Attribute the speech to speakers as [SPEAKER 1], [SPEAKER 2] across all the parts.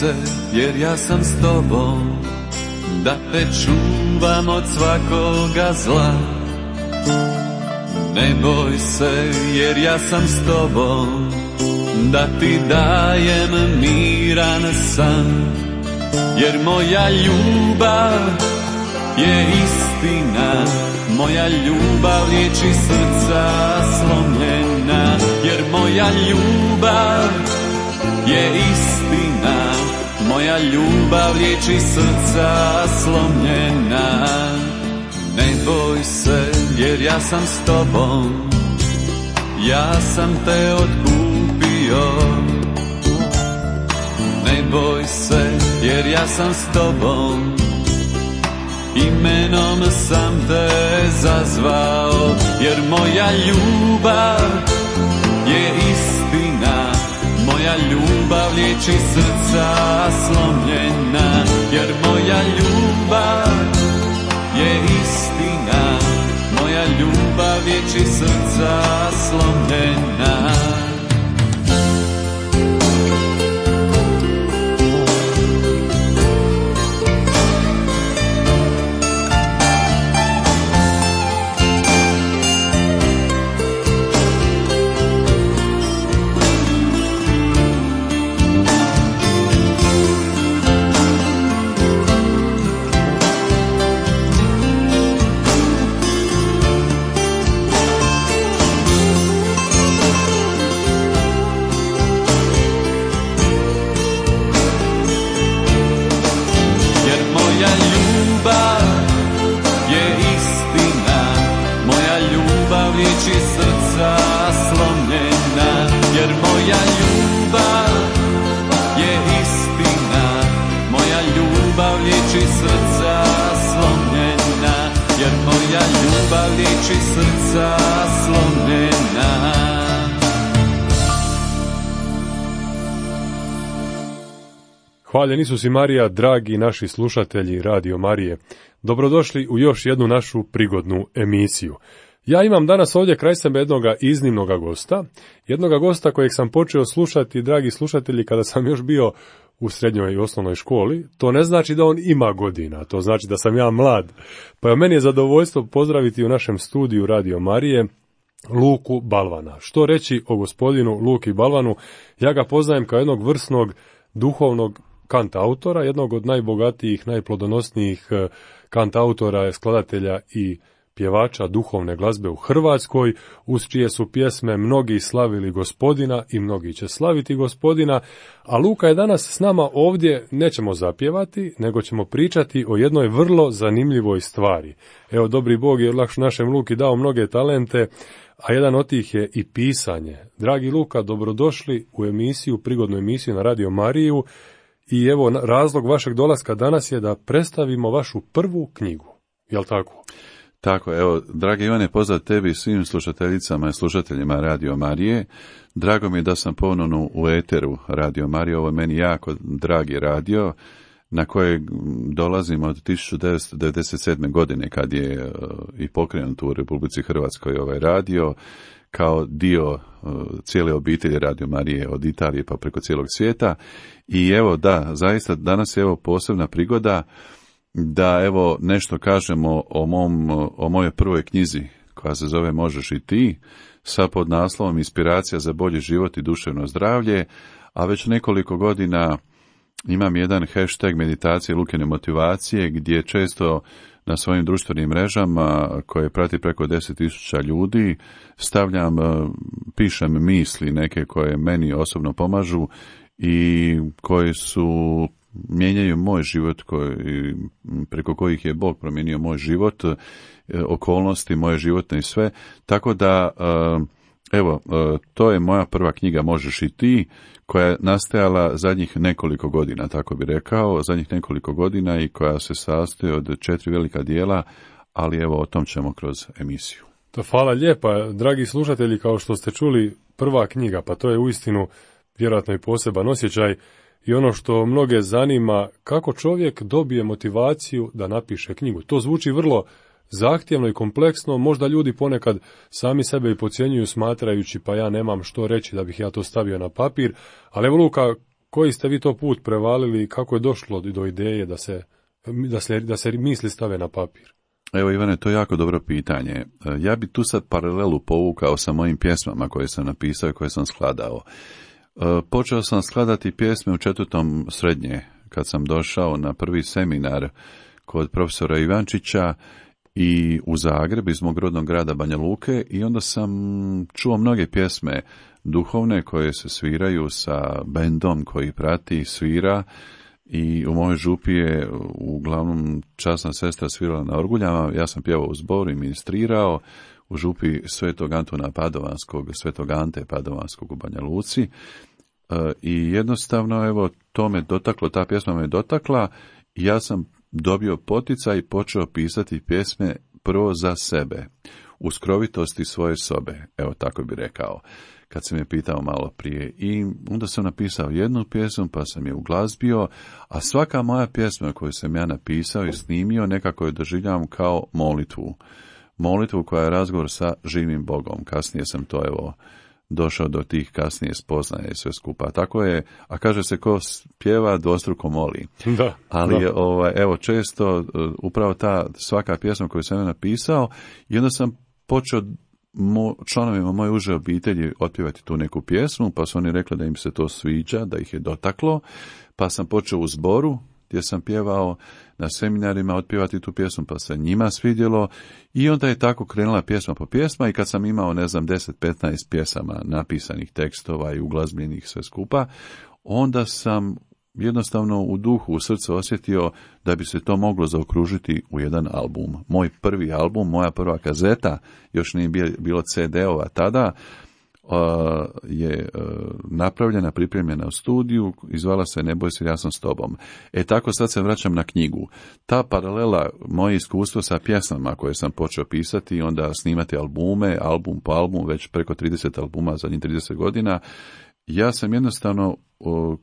[SPEAKER 1] se, jer ja sam s tobom, da te čuvam od svakoga zla. Ne boj se, jer ja sam s tobom, da ti dajem miran san. Jer moja ljubav je istina, moja ljubav liječi srca slomljena. Jer moja ljubav je istina, moja ljubav liječi srca slomljena. Ne boj se, jer ja sam s tobom, ja sam te otkupio. Ne boj se, jer ja sam s tobom, imenom sam te zazvao. Jer moja ljubav je istina, moja ljubav liječi srca slomljena. Jer moja ljubav je istina, moja ljubav liječi srca slomljena.
[SPEAKER 2] Hvaljen Isus i Marija, dragi naši slušatelji Radio Marije. Dobrodošli u još jednu našu prigodnu emisiju. Ja imam danas ovdje kraj sebe jednoga iznimnoga gosta, jednoga gosta kojeg sam počeo slušati, dragi slušatelji, kada sam još bio u srednjoj i osnovnoj školi. To ne znači da on ima godina, to znači da sam ja mlad. Pa meni je zadovoljstvo pozdraviti u našem studiju Radio Marije Luku Balvana. Što reći o gospodinu Luki Balvanu? Ja ga poznajem kao jednog vrsnog duhovnog kantautora, jednog od najbogatijih, najplodonosnijih kantautora, skladatelja i pjevača duhovne glazbe u Hrvatskoj, uz čije su pjesme mnogi slavili Gospodina i mnogi će slaviti Gospodina, a Luka je danas s nama ovdje, nećemo zapjevati, nego ćemo pričati o jednoj vrlo zanimljivoj stvari. Evo, dobri Bog je našem Luki dao mnoge talente, a jedan od tih je i pisanje. Dragi Luka, dobrodošli u emisiju, prigodnu emisiju na Radio Mariju, i evo, razlog vašeg dolaska danas je da predstavimo vašu prvu knjigu, jel tako?
[SPEAKER 3] Tako, evo, dragi Ivane, pozdrav tebi i svim slušateljicama i slušateljima Radio Marije. Drago mi je da sam ponovno u eteru Radio Marije, ovo je meni jako dragi radio, na kojeg dolazim od 1997. godine, kad je i pokrenut u Republici Hrvatskoj ovaj radio, kao dio cijele obitelji Radio Marije od Italije pa preko cijelog svijeta. I evo, da, zaista danas je evo posebna prigoda da evo nešto kažemo o mojoj prvoj knjizi koja se zove Možeš i ti, sa podnaslovom Inspiracija za bolji život i duševno zdravlje, a već nekoliko godina imam jedan hashtag meditacije Lukine motivacije, gdje često na svojim društvenim mrežama, koje prati preko 10.000 ljudi, pišem misli neke koje meni osobno pomažu i koje mijenjaju moj život, preko kojih je Bog promijenio moj život, okolnosti moje životne i sve. Tako da, evo, to je moja prva knjiga Možeš i ti, koja je nastajala zadnjih nekoliko godina, tako bi rekao, zadnjih nekoliko godina, i koja se sastoji od 4 velika dijela, ali evo, o tom ćemo kroz emisiju.
[SPEAKER 2] To hvala lijepa, dragi slušatelji, kao što ste čuli, prva knjiga, pa to je uistinu vjerojatno i poseban osjećaj. I ono što mnoge zanima, kako čovjek dobije motivaciju da napiše knjigu. To zvuči vrlo zahtjevno i kompleksno, možda ljudi ponekad sami sebe i podcjenjuju smatrajući pa ja nemam što reći da bih ja to stavio na papir, ali evo Luka, koji ste vi to put prevalili i kako je došlo do ideje da se misli stave na papir?
[SPEAKER 3] Evo Ivane, to je jako dobro pitanje. Ja bi tu sad paralelu povukao sa mojim pjesmama koje sam napisao i koje sam skladao. Počeo sam skladati pjesme u 4. srednje, kad sam došao na prvi seminar kod profesora Ivančića i u Zagreb iz mog rodnog grada Banja Luke, i onda sam čuo mnoge pjesme duhovne koje se sviraju sa bendom koji prati i svira, i u mojoj župi je uglavnom časna sestra svirala na orguljama, ja sam pjevao u zboru i ministrirao u župi Svetog Antuna Padovanskog, Svetog Ante Padovanskog u Banja Luci, i jednostavno evo to me dotaklo, ta pjesma me dotakla i ja sam dobio poticaj i počeo pisati pjesme prvo za sebe, u skrovitosti svoje sobe, evo tako bi rekao, kad sam je pitao malo prije. I onda sam napisao jednu pjesmu, pa sam je uglazbio, a svaka moja pjesma koju sam ja napisao i snimio nekako je doživljavam kao molitvu. Molitvu koja je razgovor sa živim Bogom. Kasnije sam to došao do tih kasnije spoznaje i sve skupa. Tako je, a kaže se ko pjeva dvostruko moli.
[SPEAKER 2] Da,
[SPEAKER 3] ali evo često upravo ta svaka pjesma koju sam ja napisao, i onda sam počeo članovima moje uže obitelji otpjevati tu neku pjesmu, pa su oni rekli da im se to sviđa, da ih je dotaklo, pa sam počeo u zboru gdje sam pjevao na seminarima otpjevati tu pjesmu, pa se njima svidjelo, i onda je tako krenula pjesma po pjesma, i kad sam imao 10-15 pjesama napisanih tekstova i uglazbljenih sve skupa, onda sam jednostavno u duhu, u srcu osjetio da bi se to moglo zaokružiti u jedan album. Moj prvi album, moja prva kazeta, još nije bilo CD-ova tada, je napravljena, pripremljena u studiju i zvala se Ne boj se, ja sam s tobom. Tako sad se vraćam na knjigu. Ta paralela, moje iskustvo sa pjesmama koje sam počeo pisati i onda snimati albume, album po album, već preko 30 albuma zadnjih 30 godina, ja sam jednostavno,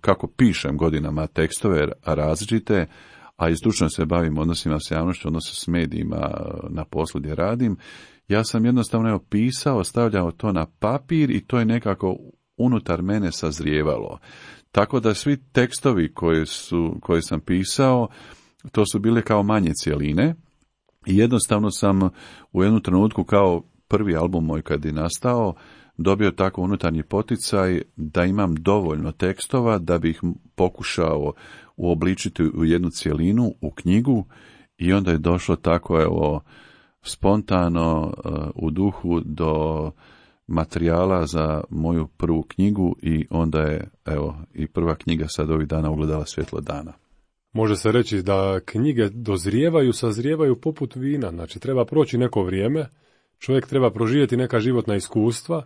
[SPEAKER 3] kako pišem godinama tekstove različite, a i stručno se bavim odnosima s javnošću, odnosima s medijima na poslu gdje radim, ja sam jednostavno pisao, stavljao to na papir i to je nekako unutar mene sazrijevalo. Tako da svi tekstovi koje sam pisao, to su bile kao manje cjeline, i jednostavno sam u jednom trenutku, kao prvi album moj kad je nastao, dobio tako unutarnji poticaj da imam dovoljno tekstova da bih pokušao uobličiti u jednu cjelinu, u knjigu, i onda je došlo tako spontano u duhu do materijala za moju prvu knjigu, i onda je i prva knjiga sad ovih dana ugledala svjetlo dana.
[SPEAKER 2] Može se reći da knjige dozrijevaju, sazrijevaju poput vina, znači treba proći neko vrijeme, čovjek treba proživjeti neka životna iskustva,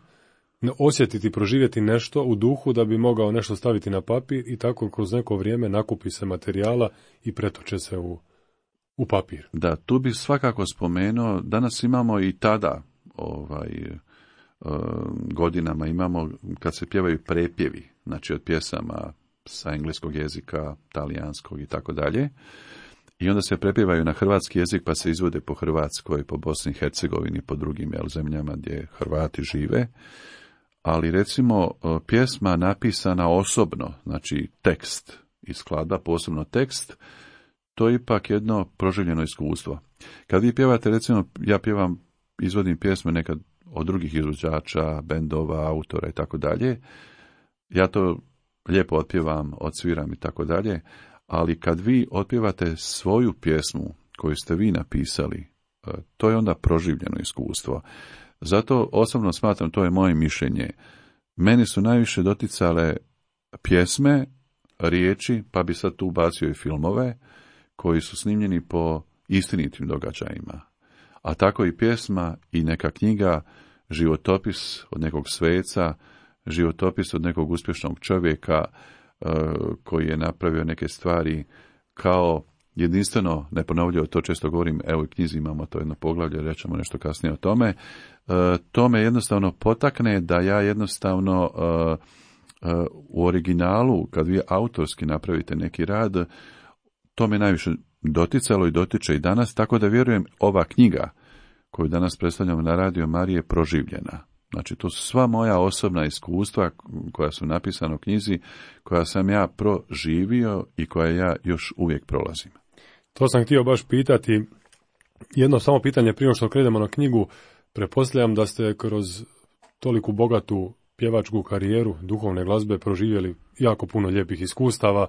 [SPEAKER 2] osjetiti, proživjeti nešto u duhu da bi mogao nešto staviti na papir, i tako kroz neko vrijeme nakupi se materijala i pretoče se u papir.
[SPEAKER 3] Da, tu bi svakako spomenuo, danas imamo i tada, godinama imamo kad se pjevaju prepjevi, znači od pjesama sa engleskog jezika, talijanskog i tako dalje, i onda se prepjevaju na hrvatski jezik pa se izvode po Hrvatskoj, po Bosni i Hercegovini, po drugim zemljama gdje Hrvati žive. Ali recimo pjesma napisana osobno, znači tekst i skladba, posebno tekst, to je ipak jedno proživljeno iskustvo. Kad vi pjevate, recimo ja izvodim pjesme nekad od drugih izvođača, bendova, autora i tako dalje, ja to lijepo otpjevam, odsviram i tako dalje, ali kad vi otpjevate svoju pjesmu koju ste vi napisali, to je onda proživljeno iskustvo. Zato osobno smatram, to je moje mišljenje, meni su najviše doticale pjesme, riječi, pa bi sad tu ubacio i filmove, koji su snimljeni po istinitim događajima. A tako i pjesma i neka knjiga, životopis od nekog sveca, životopis od nekog uspješnog čovjeka koji je napravio neke stvari kao jedinstveno, neponovljivo, to često govorim, evo i knjizi imamo to jedno poglavlje, rećemo nešto kasnije o tome, to me jednostavno potakne da ja jednostavno u originalu, kad vi autorski napravite neki rad, to me najviše doticalo i dotiče i danas, tako da vjerujem ova knjiga koju danas predstavljamo na Radio Marije je proživljena. Znači, to su sva moja osobna iskustva koja su napisana u knjizi, koja sam ja proživio i koja ja još uvijek prolazim.
[SPEAKER 2] To sam htio baš pitati. Jedno samo pitanje prije što krenemo na knjigu. Pretpostavljam da ste kroz toliku bogatu pjevačku karijeru duhovne glazbe proživjeli jako puno lijepih iskustava.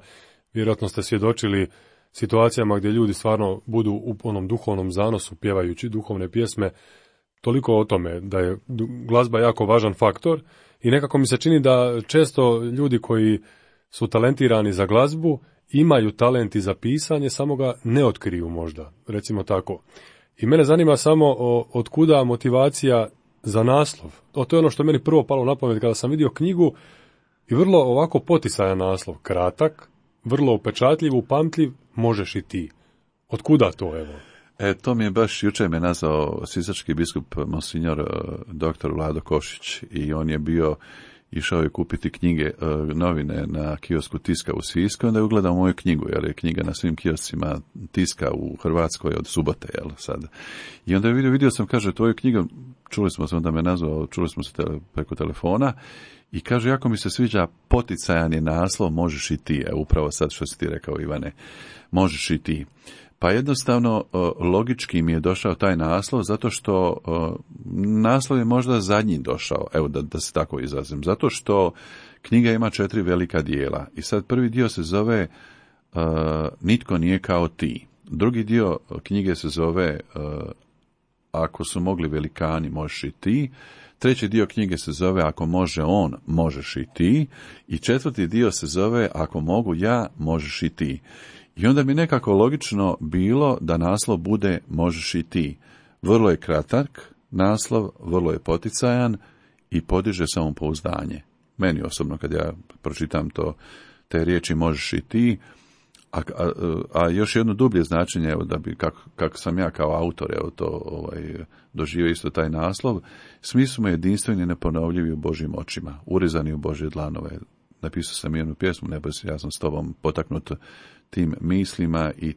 [SPEAKER 2] Vjerojatno ste svjedočili situacijama gdje ljudi stvarno budu u onom duhovnom zanosu pjevajući duhovne pjesme. Toliko o tome da je glazba jako važan faktor i nekako mi se čini da često ljudi koji su talentirani za glazbu imaju talent i za pisanje, samo ga ne otkriju možda, recimo tako. I mene zanima samo otkuda motivacija za naslov. To je ono što je meni prvo palo na pamet kada sam vidio knjigu i vrlo ovako poticajan naslov, kratak, vrlo upečatljiv, upamtljiv, možeš i ti. Otkuda to, evo?
[SPEAKER 3] To mi je baš jučer me nazvao sisački biskup monsignor dr. Vlado Košić i on je išao je kupiti knjige, novine na kiosku Tiska u Sisku, onda je ugledao moju knjigu, jer je knjiga na svim kioscima Tiska u Hrvatskoj od subote, sad. I onda je vidio sam, kaže, tvoju knjigu, čuli smo se, onda me nazvao, čuli smo se preko telefona, i kaže, jako mi se sviđa poticajan je naslov, možeš i ti, upravo sad što si ti rekao, Ivane, možeš i ti. Pa jednostavno, logički mi je došao taj naslov, zato što naslov je možda zadnji došao, evo da se tako izrazim, zato što knjiga ima 4 velika dijela. I sad prvi dio se zove Nitko nije kao ti. Drugi dio knjige se zove Ako su mogli velikani, možeš i ti. Treći dio knjige se zove Ako može on, možeš i ti. I četvrti dio se zove Ako mogu ja, možeš i ti. I onda mi nekako logično bilo da naslov bude možeš i ti. Vrlo je kratak naslov, vrlo je poticajan i podiže samopouzdanje. Meni osobno kad ja pročitam te riječi možeš i ti, a još jedno dublje značenje, evo da bi, kako sam ja kao autor, evo to doživio isto taj naslov, svi smo jedinstveni i neponovljivi u Božjim očima, urezani u Božje dlanove. Napisao sam jednu pjesmu, ne boj se, ja sam s tobom potaknut tim mislima i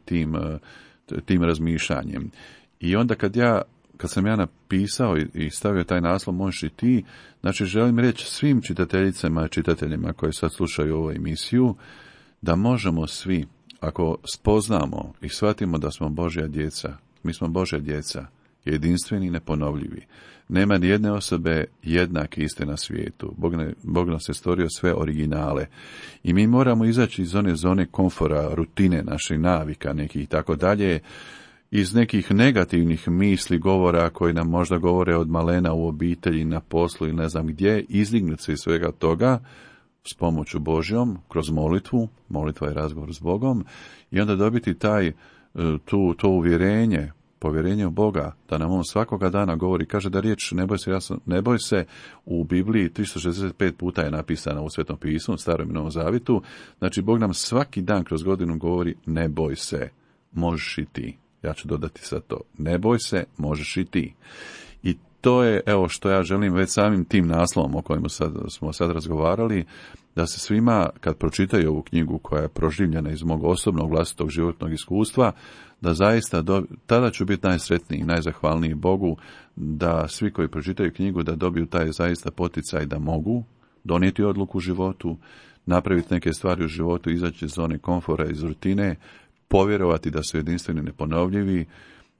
[SPEAKER 3] tim razmišljanjem. I onda kad sam ja napisao i stavio taj naslov možeš i ti, znači želim reći svim čitateljicama i čitateljima koji sad slušaju ovu emisiju, da možemo svi, ako spoznamo i shvatimo da smo Božja djeca, mi smo Božja djeca, jedinstveni i neponovljivi. Nema ni jedne osobe jednake iste na svijetu. Bog nas je stvorio sve originale. I mi moramo izaći iz one zone komfora, rutine, naših navika, nekih i tako dalje, iz nekih negativnih misli, govora koji nam možda govore od malena u obitelji, na poslu ili ne znam gdje, izdignuti se iz svega toga s pomoću Božjom, kroz molitvu, molitva je razgovor s Bogom, i onda dobiti to uvjerenje, povjerenje u Boga, da nam on svakoga dana govori, kaže da riječ ne boj se u Bibliji 365 puta je napisana u Svetom pismu, u Starom i Novom Zavitu, znači Bog nam svaki dan kroz godinu govori ne boj se, možeš i ti. Ja ću dodati sad to, ne boj se, možeš i ti. I to je, evo što ja želim već samim tim naslovom o kojem smo sad razgovarali, da se svima, kad pročitaju ovu knjigu koja je proživljena iz mog osobnog vlastitog životnog iskustva, da zaista, tada ću biti najsretniji i najzahvalniji Bogu, da svi koji pročitaju knjigu da dobiju taj zaista poticaj da mogu donijeti odluku u životu, napraviti neke stvari u životu, izaći iz zone komfora, iz rutine, povjerovati da su jedinstveni neponovljivi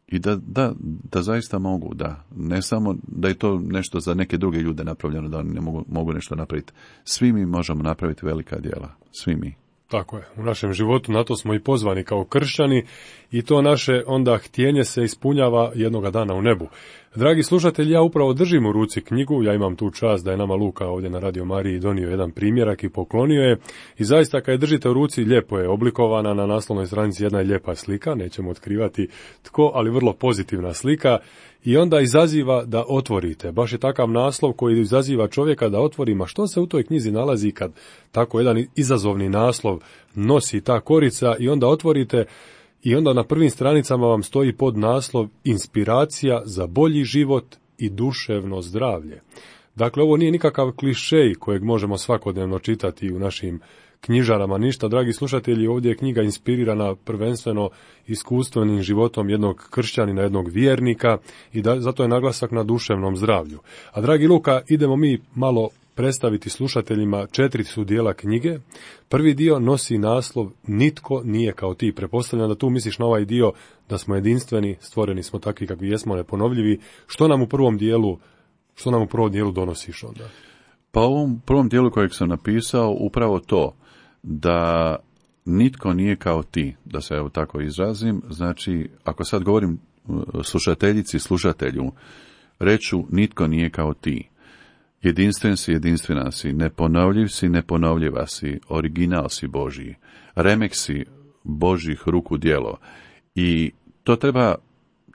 [SPEAKER 3] i da zaista mogu, da ne samo da je to nešto za neke druge ljude napravljeno, da oni ne mogu nešto napraviti. Svi mi možemo napraviti velika djela, svi mi.
[SPEAKER 2] Tako je, u našem životu na to smo i pozvani kao kršćani i to naše onda htjenje se ispunjava jednoga dana u nebu. Dragi slušatelji, ja upravo držim u ruci knjigu, ja imam tu čast da je nama Luka ovdje na Radio Mariji donio jedan primjerak i poklonio je i zaista kad je držite u ruci lijepo je oblikovana, na naslovnoj stranici jedna je lijepa slika, nećemo otkrivati tko, ali vrlo pozitivna slika i onda izaziva da otvorite. Baš je takav naslov koji izaziva čovjeka da otvori, ma što se u toj knjizi nalazi kad tako jedan izazovni naslov nosi ta korica i onda otvorite i onda na prvim stranicama vam stoji pod naslov Inspiracija za bolji život i duševno zdravlje. Dakle, ovo nije nikakav klišej kojeg možemo svakodnevno čitati u našim knjižarama ništa. Dragi slušatelji, ovdje je knjiga inspirirana prvenstveno iskustvenim životom jednog kršćanina, jednog vjernika i zato je naglasak na duševnom zdravlju. A dragi Luka, idemo mi malo predstaviti slušateljima 4 su dijela knjige. Prvi dio nosi naslov Nitko nije kao ti. Pretpostavljam da tu misliš na ovaj dio da smo jedinstveni, stvoreni smo takvi kakvi jesmo, neponovljivi. Što nam u prvom dijelu donosiš onda?
[SPEAKER 3] Pa u ovom prvom dijelu kojeg sam napisao upravo to, da nitko nije kao ti, da se evo tako izrazim. Znači, ako sad govorim slušateljici, slušatelju, reću nitko nije kao ti. Jedinstven si, jedinstvena si, neponovljiv si, neponovljiva si, original si Božji, remek si Božjih ruku djelo. I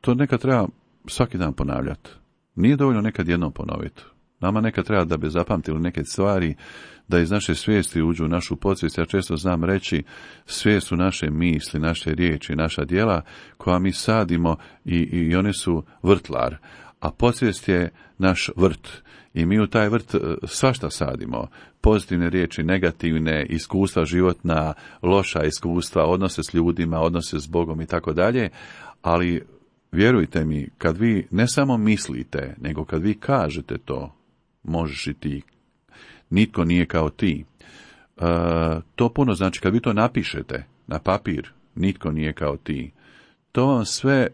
[SPEAKER 3] to nekad treba svaki dan ponavljati. Nije dovoljno nekad jednom ponoviti. Nama nekad treba da bi zapamtili neke stvari, da iz naše svijesti uđu u našu podsvijest. Ja često znam reći, svijest su naše misli, naše riječi, naša djela koja mi sadimo i one su vrtlar, a podsvijest je naš vrt. I mi u taj vrt svašta sadimo, pozitivne riječi, negativne, iskustva životna, loša iskustva, odnose s ljudima, odnose s Bogom i tako dalje, ali vjerujte mi, kad vi ne samo mislite, nego kad vi kažete to, možeš i ti, nitko nije kao ti, to puno znači, kad vi to napišete na papir, nitko nije kao ti, to vam sve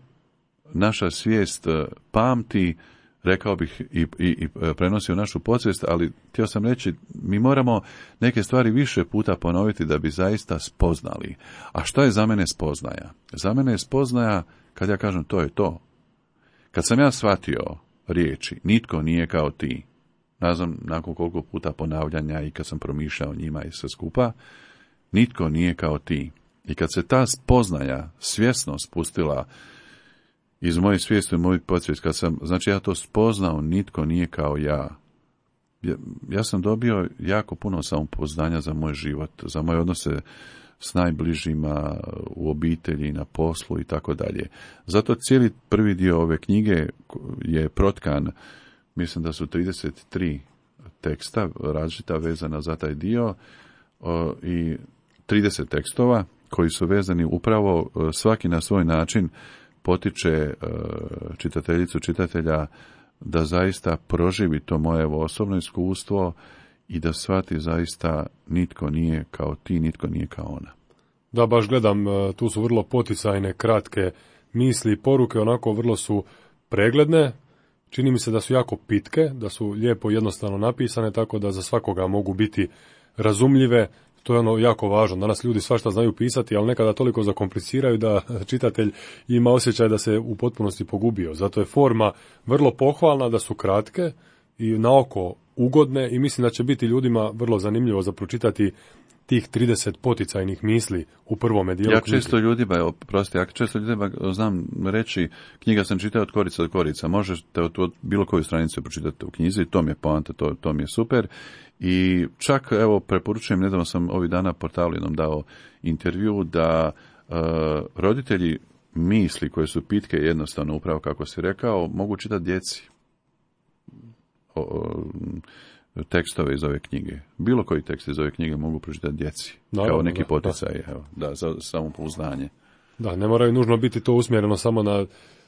[SPEAKER 3] naša svijest pamti, rekao bih i prenosi u našu podsvijest, ali htio sam reći, mi moramo neke stvari više puta ponoviti da bi zaista spoznali. A što je za mene spoznaja? Za mene je spoznaja kad ja kažem to je to. Kad sam ja shvatio riječi, nitko nije kao ti, ne znam nakon koliko puta ponavljanja i kad sam promišljao njima i sve skupa, nitko nije kao ti. I kad se ta spoznaja svjesno spustila iz moje svijesti u moju podsvijest, kad sam, znači ja to spoznao, nitko nije kao ja. Ja sam dobio jako puno samopoznanja za moj život, za moje odnose s najbližima, u obitelji, na poslu i tako dalje. Zato cijeli prvi dio ove knjige je protkan, mislim da su 33 teksta različita vezana za taj dio i 30 tekstova koji su vezani upravo svaki na svoj način potiče čitateljicu, čitatelja da zaista proživi to moje osobno iskustvo i da shvati zaista nitko nije kao ti, nitko nije kao ona.
[SPEAKER 2] Da, baš gledam, tu su vrlo poticajne, kratke misli i poruke, onako vrlo su pregledne, čini mi se da su jako pitke, da su lijepo jednostavno napisane, tako da za svakoga mogu biti razumljive. To je ono jako važno. Danas ljudi svašta znaju pisati, ali nekada toliko zakompliciraju da čitatelj ima osjećaj da se u potpunosti pogubio. Zato je forma vrlo pohvalna, da su kratke i na oko ugodne i mislim da će biti ljudima vrlo zanimljivo za pročitati tih 30 poticajnih misli u prvome dijelu knjige.
[SPEAKER 3] Ja često ljudima znam reći, knjiga sam čitao od korica do korica, možete od bilo koju stranicu pročitati u knjizi, to mi je poanta, to mi je super. I čak, evo, preporučujem, nedavno sam ovih dana portalu jednom dao intervju da roditelji misli koje su pitke jednostavno, upravo kako si rekao, mogu čitati djeci tekstove iz ove knjige. Bilo koji tekst iz ove knjige mogu pročitati djeci. Kao neki poticaj, za samopouzdanje.
[SPEAKER 2] Da, ne moraju nužno biti to usmjereno samo na...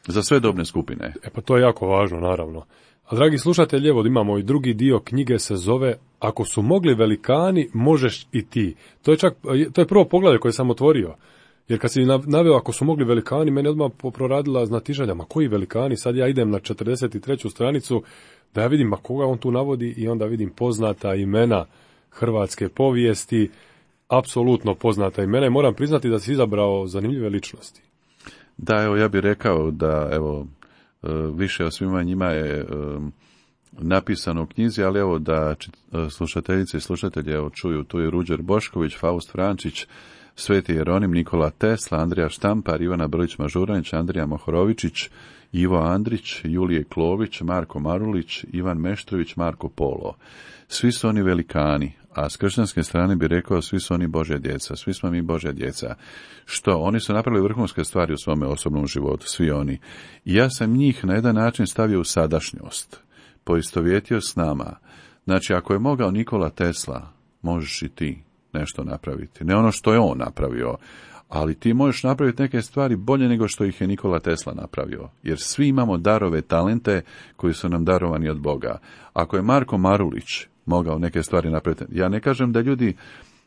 [SPEAKER 3] Za sve dobne skupine.
[SPEAKER 2] Pa to je jako važno, naravno. A dragi slušatelji, evo imamo i drugi dio knjige, se zove Ako su mogli velikani, možeš i ti. To je prvo poglavlje koje sam otvorio. Jer kad si naveo ako su mogli velikani, meni odmah proradila znatiželja, ma koji velikani, sad ja idem na 43. stranicu da ja vidim ma koga on tu navodi i onda vidim poznata imena hrvatske povijesti, apsolutno poznata imena i moram priznati da si izabrao zanimljive ličnosti.
[SPEAKER 3] Da, evo ja bih rekao da evo više o svima njima je napisano u knjizi, ali evo da slušateljice i slušatelji evo čuju, tu je Ruđer Bošković, Faust Frančić, Sveti Jeronim, Nikola Tesla, Andrija Štampar, Ivana Brlić-Mažuranić, Andrija Mohorovičić, Ivo Andrić, Julije Klović, Marko Marulić, Ivan Meštrović, Marko Polo. Svi su oni velikani, a s kršćanske strane bi rekao svi su oni Božja djeca, svi smo mi Božja djeca. Što? Oni su napravili vrhunske stvari u svome osobnom životu, svi oni. I ja sam njih na jedan način stavio u sadašnjost, poistovjetio s nama. Znači, ako je mogao Nikola Tesla, možeš i ti. nešto napraviti, ne ono što je on napravio, ali ti možeš napraviti neke stvari bolje nego što ih je Nikola Tesla napravio, jer svi imamo darove, talente koji su nam darovani od Boga. Ako je Marko Marulić mogao neke stvari napraviti, ja ne kažem da ljudi,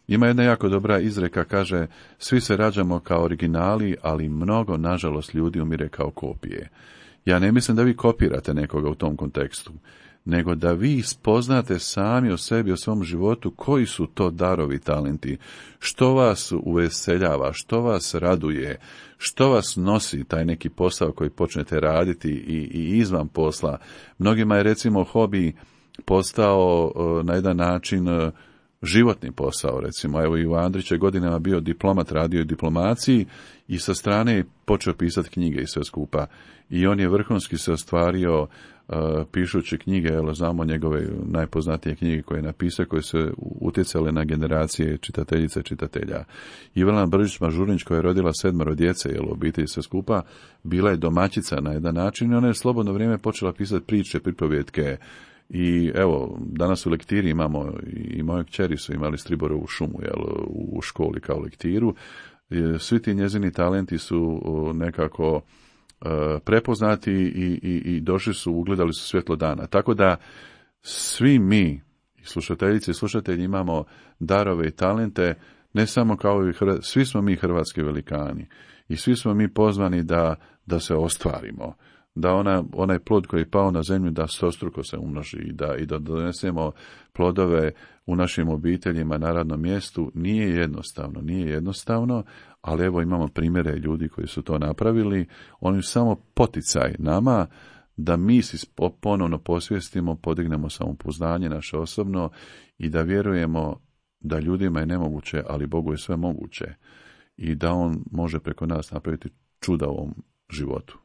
[SPEAKER 3] ima jedna jako dobra izreka, kaže, svi se rađamo kao originali, ali mnogo, nažalost, ljudi umire kao kopije. Ja ne mislim da vi kopirate nekoga u tom kontekstu, nego da vi spoznate sami o sebi, o svom životu, koji su to darovi, talenti, što vas uveseljava, što vas raduje, što vas nosi taj neki posao koji počnete raditi i izvan posla. Mnogima je recimo hobi postao na jedan način životni posao, recimo. Evo, Ivo Andrić je godinama bio diplomat, radio u diplomaciji i sa strane je počeo pisati knjige i sve skupa. I on je vrhunski se ostvario pišući knjige, znamo njegove najpoznatije knjige koje je napisao, koje su utjecale na generacije čitateljice i čitatelja. Ivana Bržić-Mažurnić, koja je rodila 7 djece, obitelji sve skupa, bila je domaćica na jedan način i ona je slobodno vrijeme počela pisati priče, pripovjetke. I evo, danas u lektiri imamo, i moje kćeri su imali Striborovu šumu u školi kao lektiru. Svi ti njezini talenti su nekako prepoznati i došli su, ugledali su svjetlo dana. Tako da svi mi, slušateljice i slušatelji, imamo darove i talente, ne samo kao i svi smo mi hrvatski velikani i svi smo mi pozvani da se ostvarimo, da onaj plod koji je pao na zemlju da stostruko se umnoži i da donesemo plodove u našim obiteljima na radnom mjestu. Nije jednostavno, ali evo imamo primjere ljudi koji su to napravili. Oni su samo poticaj nama da mi si ponovno posvijestimo, podignemo samopouzdanje naše osobno i da vjerujemo da ljudima je nemoguće, ali Bogu je sve moguće i da On može preko nas napraviti čuda u ovom životu.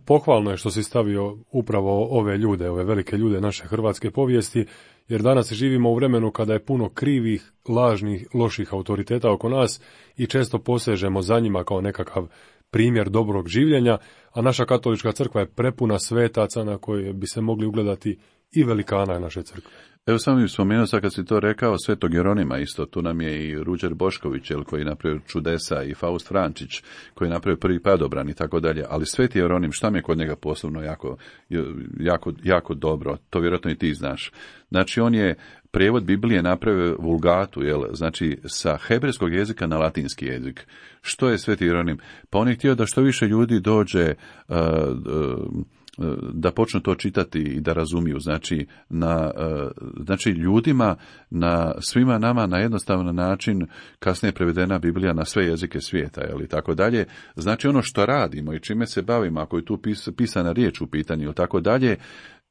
[SPEAKER 2] Pohvalno je što si stavio upravo ove ljude, ove velike ljude naše hrvatske povijesti, jer danas živimo u vremenu kada je puno krivih, lažnih, loših autoriteta oko nas i često posežemo za njima kao nekakav primjer dobrog življenja, a naša katolička crkva je prepuna svetaca na koje bi se mogli ugledati i velikana naše crkve.
[SPEAKER 3] Evo sam bih spomenuo sad kad si to rekao, Svetog Jeronima isto, tu nam je i Ruđer Bošković, koji je napravio čudesa, i Faust Frančić, koji je napravio prvi padobran i tako dalje, ali Sveti Jeronim, šta mi je kod njega posebno jako dobro, to vjerojatno i ti znaš. Znači on je prijevod Biblije napravio vulgatu, znači sa hebrejskog jezika na latinski jezik. Što je Sveti Jeronim? Pa on je htio da što više ljudi dođe da počnu to čitati i da razumiju, znači ljudima, na svima nama na jednostavan način, kasnije je prevedena Biblija na sve jezike svijeta, i tako dalje. Znači ono što radimo i čime se bavimo, ako je tu pisana riječ u pitanju, tako dalje,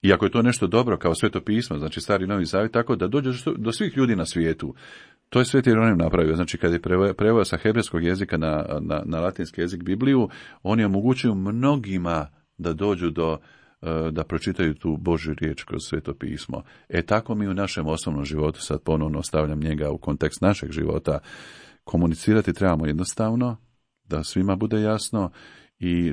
[SPEAKER 3] i ako je to nešto dobro kao Sveto pismo, znači Stari i Novi Zavjet, tako da dođe do svih ljudi na svijetu. To je Sveti Jeronim napravio, znači kad je preveo sa hebrejskog jezika na latinski jezik Bibliju, on je omogućio mnogima da dođu da pročitaju tu Božju riječ kroz Sveto pismo. Tako mi u našem osobnom životu, sad ponovno stavljam njega u kontekst našeg života, komunicirati trebamo jednostavno, da svima bude jasno i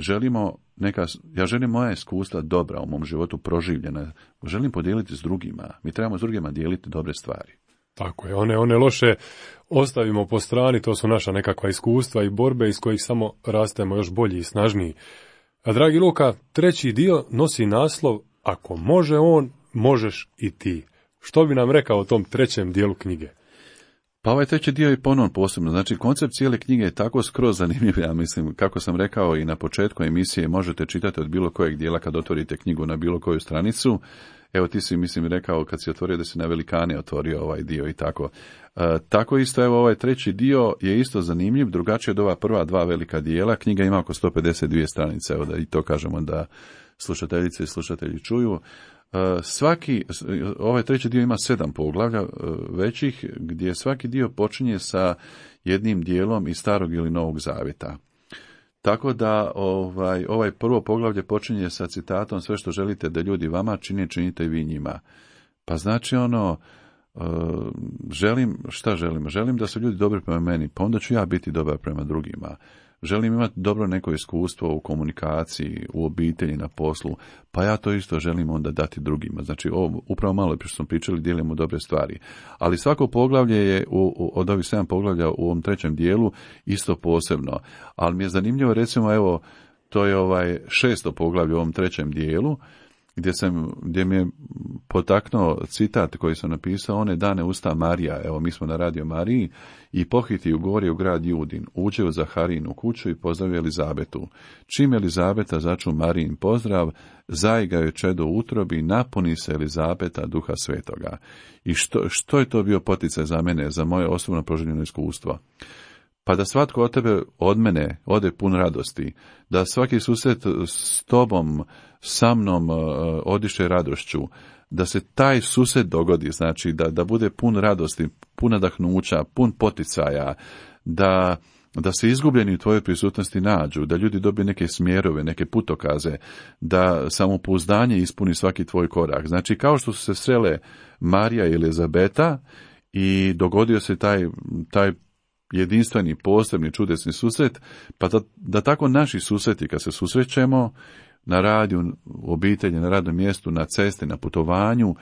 [SPEAKER 3] ja želim moja iskustva dobra u mom životu proživljena, želim podijeliti s drugima. Mi trebamo s drugima dijeliti dobre stvari.
[SPEAKER 2] Tako je, one loše ostavimo po strani, to su naša nekakva iskustva i borbe iz kojih samo rastemo još bolji i snažniji. A dragi Luka, 3. dio nosi naslov Ako može on, možeš i ti. Što bi nam rekao o tom 3. dijelu knjige?
[SPEAKER 3] Pa ovaj 3. dio je ponovno posebno. Znači, koncept cijele knjige je tako skroz zanimljiv, ja mislim, kako sam rekao i na početku emisije, možete čitati od bilo kojeg dijela kad otvorite knjigu na bilo koju stranicu. Evo ti si, mislim, rekao kad si otvorio da si na velikane otvorio ovaj dio i tako. Tako isto, evo ovaj 3. dio je isto zanimljiv, drugačije od ova prva 2 velika dijela. Knjiga ima oko 152 stranice, evo da i to kažemo da slušateljice i slušatelji čuju. Ovaj 3. dio ima 7 poglavlja većih, gdje svaki dio počinje sa jednim dijelom iz Starog ili Novog Zavjeta. Tako da ovaj prvo poglavlje počinje sa citatom: sve što želite da ljudi vama čine, činite vi njima. Pa znači šta želim? Želim da su ljudi dobri prema meni, pa onda ću ja biti dobar prema drugima. Želim imati dobro neko iskustvo u komunikaciji, u obitelji, na poslu, pa ja to isto želim onda dati drugima. Znači, upravo malo što smo pričali, dijelimo dobre stvari. Ali svako poglavlje je, od ovih 7 poglavlja u ovom 3. dijelu, isto posebno. Ali mi je zanimljivo, recimo, evo, to je 6. poglavlje u ovom 3. dijelu, gdje mi je potaknuo citat koji sam napisao: one dane usta Marija, evo mi smo na Radio Mariji, i pohiti u gori u grad Judin, uđe u Zaharinu kuću i pozdravi Elizabetu. Čim Elizabeta začu Marijin pozdrav, zaiga joj čedo u utrobi, napuni se Elizabeta Duha Svetoga. I što je to bio poticaj za mene, za moje osobno proživljeno iskustvo? Pa da svatko od mene ode pun radosti, da svaki susret s tobom, sa mnom odiše radošću, da se taj susret dogodi, znači da bude pun radosti, pun nadahnuća, pun poticaja, da se izgubljeni u tvojoj prisutnosti nađu, da ljudi dobiju neke smjerove, neke putokaze, da samopouzdanje ispuni svaki tvoj korak. Znači, kao što su se srele Marija i Elizabeta i dogodio se taj jedinstveni, posebni, čudesni susret, pa da tako naši susreti, kad se susrećemo na radiju, u obitelji, na radnom mjestu, na cesti, na putovanju,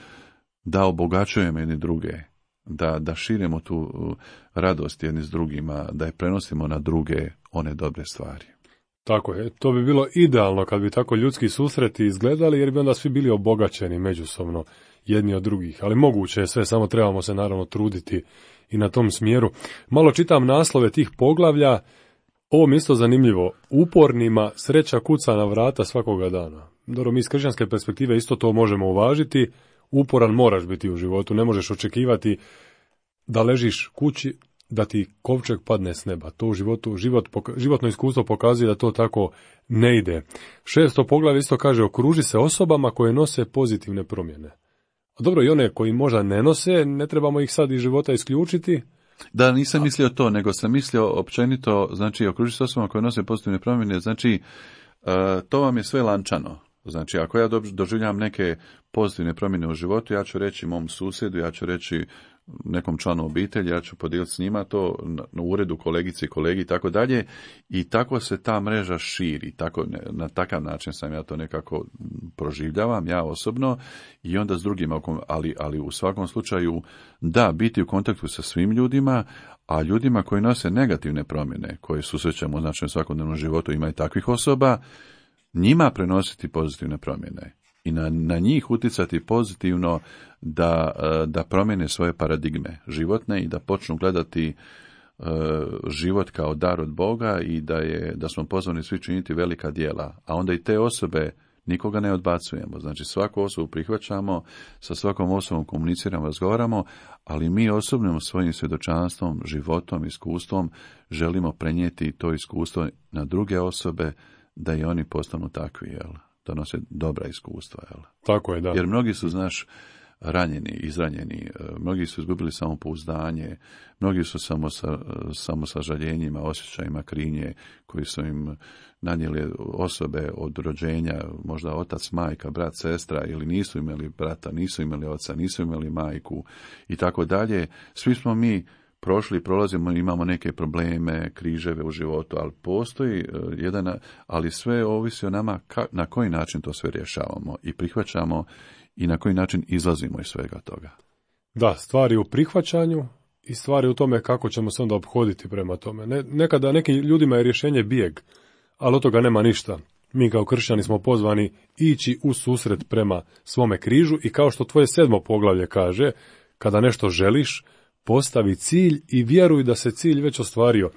[SPEAKER 3] da obogaćujemo jedni druge, da širimo tu radost jedni s drugima, da je prenosimo na druge one dobre stvari.
[SPEAKER 2] Tako je, to bi bilo idealno kad bi tako ljudski susreti izgledali, jer bi onda svi bili obogaćeni međusobno jedni od drugih, ali moguće je sve, samo trebamo se naravno truditi i na tom smjeru. Malo čitam naslove tih poglavlja, ovo mi isto zanimljivo: upornima sreća kuca na vrata svakoga dana. Dobro, mi iz kršćanske perspektive isto to možemo uvažiti, uporan moraš biti u životu, ne možeš očekivati da ležiš kući, da ti kovčeg padne s neba. To u životu, životno iskustvo pokazuje da to tako ne ide. 6. poglavlje isto kaže: okruži se osobama koje nose pozitivne promjene. A dobro, i one koji možda ne nose, ne trebamo ih sad iz života isključiti.
[SPEAKER 3] Da, nisam mislio to, nego sam mislio općenito, znači, okruži se osobama koje nose pozitivne promjene, znači, to vam je sve lančano. Znači, ako ja doživljam neke pozitivne promjene u životu, ja ću reći mom susjedu, ja ću reći nekom članu obitelji, ja ću podijeliti s njima to na uredu, kolegici i kolegi i tako dalje, i tako se ta mreža širi, na takav način sam ja to nekako proživljavam, ja osobno, i onda s drugima, ali u svakom slučaju da, biti u kontaktu sa svim ljudima, a ljudima koji nose negativne promjene, koje susrećemo u našem svakodnevnom životu, ima i takvih osoba, njima prenositi pozitivne promjene i na njih utjecati pozitivno da promijene svoje paradigme životne i da počnu gledati život kao dar od Boga i da smo pozvani svi činiti velika djela. A onda i te osobe nikoga ne odbacujemo. Znači, svaku osobu prihvaćamo, sa svakom osobom komuniciramo, razgovaramo, ali mi osobnim svojim svjedočanstvom, životom, iskustvom želimo prenijeti to iskustvo na druge osobe, da i oni postanu takvi, donose dobra iskustva.
[SPEAKER 2] Tako je, da.
[SPEAKER 3] Jer mnogi su, znaš, ranjeni, izranjeni, mnogi su izgubili samopouzdanje, mnogi su samo sa žaljenjima, osjećajima krivnje koji su im nanijeli osobe od rođenja, možda otac, majka, brat, sestra, ili nisu imali brata, nisu imali oca, nisu imali majku i tako dalje. Svi smo mi prolazimo, imamo neke probleme, križeve u životu, ali postoji ali sve ovisi o nama na koji način to sve rješavamo i prihvaćamo i na koji način izlazimo iz svega toga.
[SPEAKER 2] Da, stvari u prihvaćanju i stvari u tome kako ćemo se onda ophoditi prema tome. Nekada nekim ljudima je rješenje bijeg, ali od toga nema ništa. Mi kao kršćani smo pozvani ići u susret prema svome križu i kao što tvoje 7. poglavlje kaže, kada nešto želiš, postavi cilj i vjeruj da se cilj već ostvario.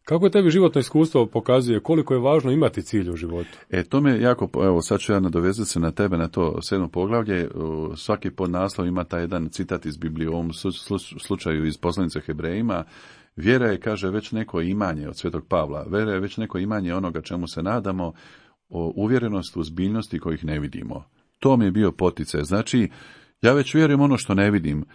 [SPEAKER 2] Kako je tebi životno iskustvo pokazuje koliko je važno imati cilj u životu?
[SPEAKER 3] To me jako, evo sad ću ja nadovezati se na tebe na to 7. poglavlje. Svaki podnaslov ima taj jedan citat iz Biblije, u ovom slučaju iz poslanice Hebrejima. Vjera je, kaže, već neko imanje od Svetog Pavla. Vjera je već neko imanje onoga čemu se nadamo, o uvjerenost u zbiljnosti kojih ne vidimo. To mi je bio poticaj. Znači, ja već vjerujem ono što ne vidim.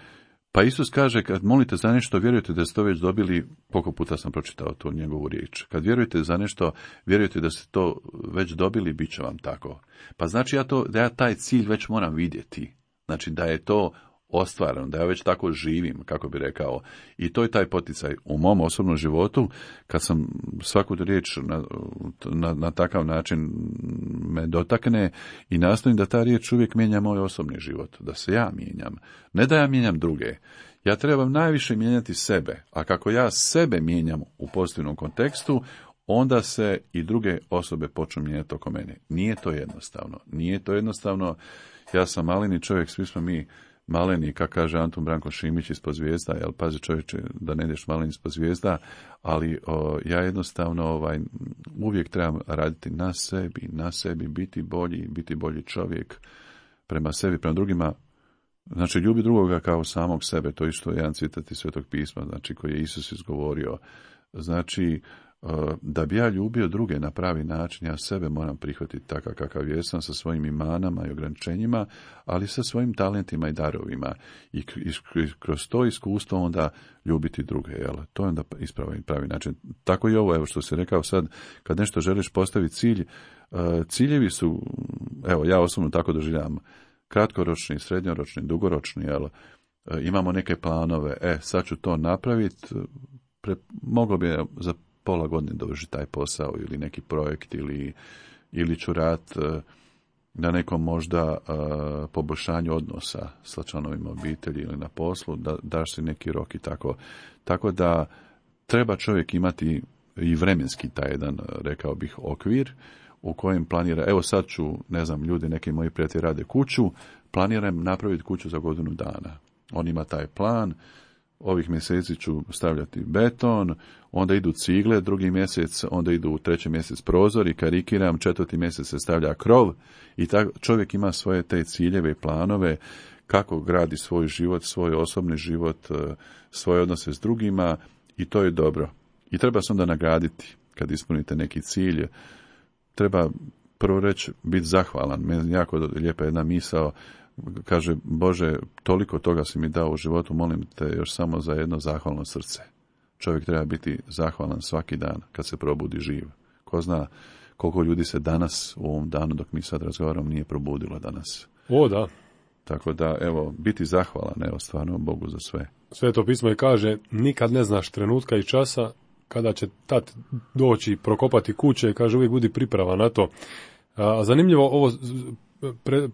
[SPEAKER 3] Pa Isus kaže, kad molite za nešto, vjerujete da ste to već dobili, koliko puta sam pročitao tu njegovu riječ. Kad vjerujete za nešto, vjerujete da ste to već dobili, bit će vam tako. Pa znači da ja taj cilj već moram vidjeti. Znači da je to ostvareno, da ja već tako živim, kako bi rekao. I to je taj poticaj u mom osobnom životu, kad sam svaku riječ na takav način me dotakne i nastojim da ta riječ uvijek mijenja moj osobni život, da se ja mijenjam, ne da ja mijenjam druge. Ja trebam najviše mijenjati sebe, a kako ja sebe mijenjam u pozitivnom kontekstu, onda se i druge osobe počnu mijenjati oko mene. Nije to jednostavno. Ja sam maleni čovjek, svi smo mi maleni, kako kaže Antun Branko Šimić, ispod zvijezda, jel, pazi čovječe da ne ideš maleni ispod zvijezda, ali ja jednostavno uvijek trebam raditi na sebi, biti bolji čovjek prema sebi, prema drugima. Znači, ljubi drugoga kao samog sebe, to isto je jedan citat iz Svetog pisma, znači, koji je Isus izgovorio. Znači, da bi ja ljubio druge na pravi način, ja sebe moram prihvatiti takav kakav jesam, sa svojim imanama i ograničenjima, ali sa svojim talentima i darovima. I kroz to iskustvo onda ljubiti druge. Jel? To je onda pravi način. Tako i ovo, evo što si rekao sad, kad nešto želiš postaviti cilj, ciljevi su, evo ja osobno tako doživljavam, kratkoročni, srednjoročni, dugoročni, jel? Imamo neke planove, sad ću to napraviti, moglo bi za pola godine dovršiti taj posao ili neki projekt ili ću raditi na nekom možda poboljšanju odnosa sa članovima obitelji ili na poslu, da daš si neki rok i tako. Tako da treba čovjek imati i vremenski taj jedan, rekao bih, okvir u kojem planira, evo sad ću, ne znam, ljudi, neki moji prijatelji rade kuću, planiram napraviti kuću za godinu dana. On ima taj plan, ovih mjeseci ću stavljati beton, onda idu cigle, drugi mjesec, onda idu u 3. mjesec prozori, karikiram, 4. mjesec se stavlja krov i tako čovjek ima svoje te ciljeve i planove kako gradi svoj život, svoj osobni život, svoje odnose s drugima i to je dobro. I treba se onda nagraditi kad ispunite neki cilj. Treba prvo reći biti zahvalan. Meni jako lijepa jedna misao, kaže, Bože, toliko toga si mi dao u životu, molim te još samo za jedno zahvalno srce. Čovjek treba biti zahvalan svaki dan kad se probudi živ. Ko zna koliko ljudi se danas, u ovom danu dok mi sad razgovaramo, nije probudilo danas.
[SPEAKER 2] O, da.
[SPEAKER 3] Tako da, evo, biti zahvalan, evo, stvarno Bogu za sve.
[SPEAKER 2] Sveto pismo i kaže, nikad ne znaš trenutka i časa kada će tat doći prokopati kuće, kaže, uvijek budi pripravan na to. A zanimljivo, ovo